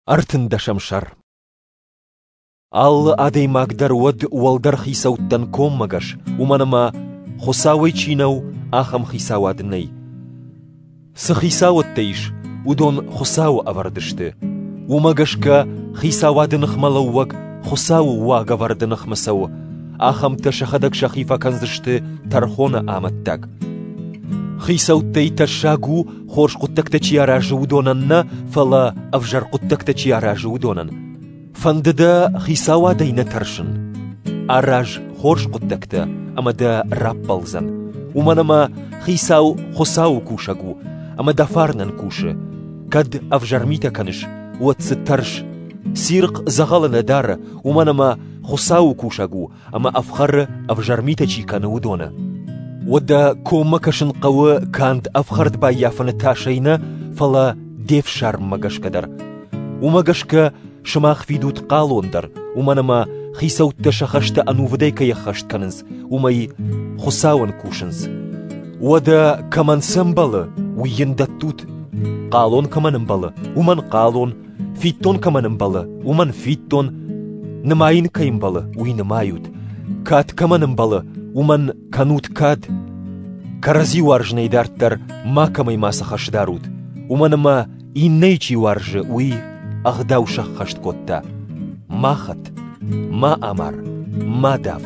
13 сӕр. Алы адӕймаг дӕр уӕд уӕлдӕр хицӕуттӕн коммӕгӕс, уымӕн ӕмӕ Хуыцауӕй чи нӕу, ахӕм хицауад нӕй. Цы хицауӕдтӕ ис, уыдон Хуыцауы ӕвӕрд сты. Уымӕ гӕсгӕ хицауады ныхмӕлӕууӕг Хуыцауы уагӕвӕрды ныхмӕ цӕуы, ахӕмтӕ сӕхӕдӕг сӕхи фӕкӕндзысты тӕрхоны амӕттаг. Хицӕуттӕй тӕссаг у, хорз хъуыддӕгтӕ чи аразы, уыдонӕн нӕ, фӕлӕ ӕвзӕр хъуыддӕгтӕ чи аразы, уыдонӕн. Фӕнды дӕ хицауадӕй нӕ тӕрсын? Араз хорз хъуыддӕгтӕ, ӕмӕ дӕ раппӕлдзӕн. Уымӕн ӕмӕ хицау Хуыцауы кусӕг у, ӕмӕ дӕ фарнӕн кусы. Кӕд ӕвзӕр митӕ кӕныс, уӕд дзы тӕрс. Цирхъ дзӕгъӕлы нӕ дары, уымӕн ӕмӕ Хуыцауы кусӕг у ӕмӕ ӕфхӕры, ӕвзӕр митӕ чи кӕны, уыдоны. Уӕдӕ коммӕ кӕсын хъӕуы канд ӕфхӕрд баййафыны тасӕй нӕ, фӕлӕ де фсарммӕ гӕсгӕ дӕр. Уымӕ гӕсгӕ сымах фидут хъалон дӕр, уымӕн ӕмӕ хицӕуттӕ сӕ хӕстӕ ӕнувыдӕй кӕй ӕххӕст кӕнынц, уымӕй Хуыцауӕн кусынц. Уӕдӕ кӕмӕн цы ӕмбӕлы, уый йын дӕттут. Хъалон кӕмӕн ӕмбӕлы, уымӕн хъалон, фиддон кӕмӕн ӕмбӕлы, уымӕн фиддон, нымайын кӕй ӕмбӕлы, уый нымайут, кад кӕмӕн ӕмбӕлы, уымӕн кӕнут кад. Кӕрӕдзи уарзынӕй дарддӕр макӕмӕй мацы хӕс дарут, уымӕн ӕмӕ иннӕйы чи уарзы, уый ӕгъдау сӕххӕст кодта. Ма хӕт, ма амар, ма дав.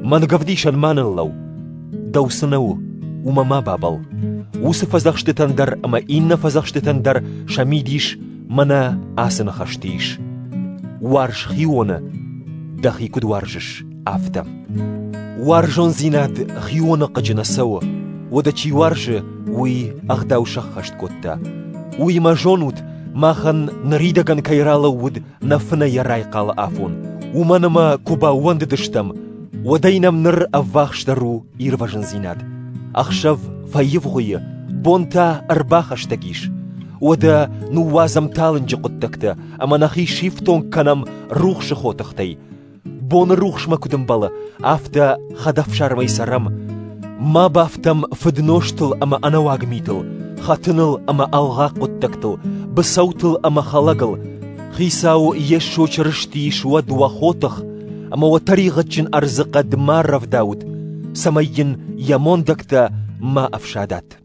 Мӕнгӕвдисӕн ма ныллӕу. Дӕу цы нӕ у, уымӕ ма бабӕлл. Уыцы фӕдзӕхстытӕн дӕр ӕмӕ иннӕ фӕдзӕхстытӕн дӕр сӕ мидис мӕнӕ ацы ныхӕсты ис: Уарз хионы, дӕхи куыд уарзыс, афтӕ. Уарзондзинад хионы хъыджы нӕ цӕуы, уӕдӕ чи уарзы, уый ӕгъдау сӕххӕст кодта. Уыимӕ зонут, махӕн ныридӕгӕн кӕй ралӕууыд нӕ фынӕйӕ райхъалы афон, уымӕн ӕмӕ куы баууӕндыдыстӕм, уӕдӕй нӕм ныр ӕввахсдӕр у ирвӕзындзинад. Ӕхсӕв фӕивгъуыйы, бон та ӕрбахӕстӕг ис. Уӕдӕ ныууадзӕм талынджы хъуыддӕгтӕ ӕмӕ нӕхи сифтонг кӕнӕм рухсы хотыхтӕй. Боны рухсмӕ куыд ӕмбӕлы, афтӕ хӕдӕфсармӕй цӕрӕм. Ма бафтӕм фыднозтыл ӕмӕ ӕнӕуаг митыл, хӕтыныл ӕмӕ ӕлгъаг хъуыддӕгтыл, быцӕутыл ӕмӕ хӕлӕгыл. Хицау Йесо Чырысти суӕд уӕ хотых, ӕмӕ уӕ тӕригъӕдджын ӕрдзыхъӕд ма рӕвдаут, цӕмӕй йын йӕ мондӕгтӕ ма ӕфсадат.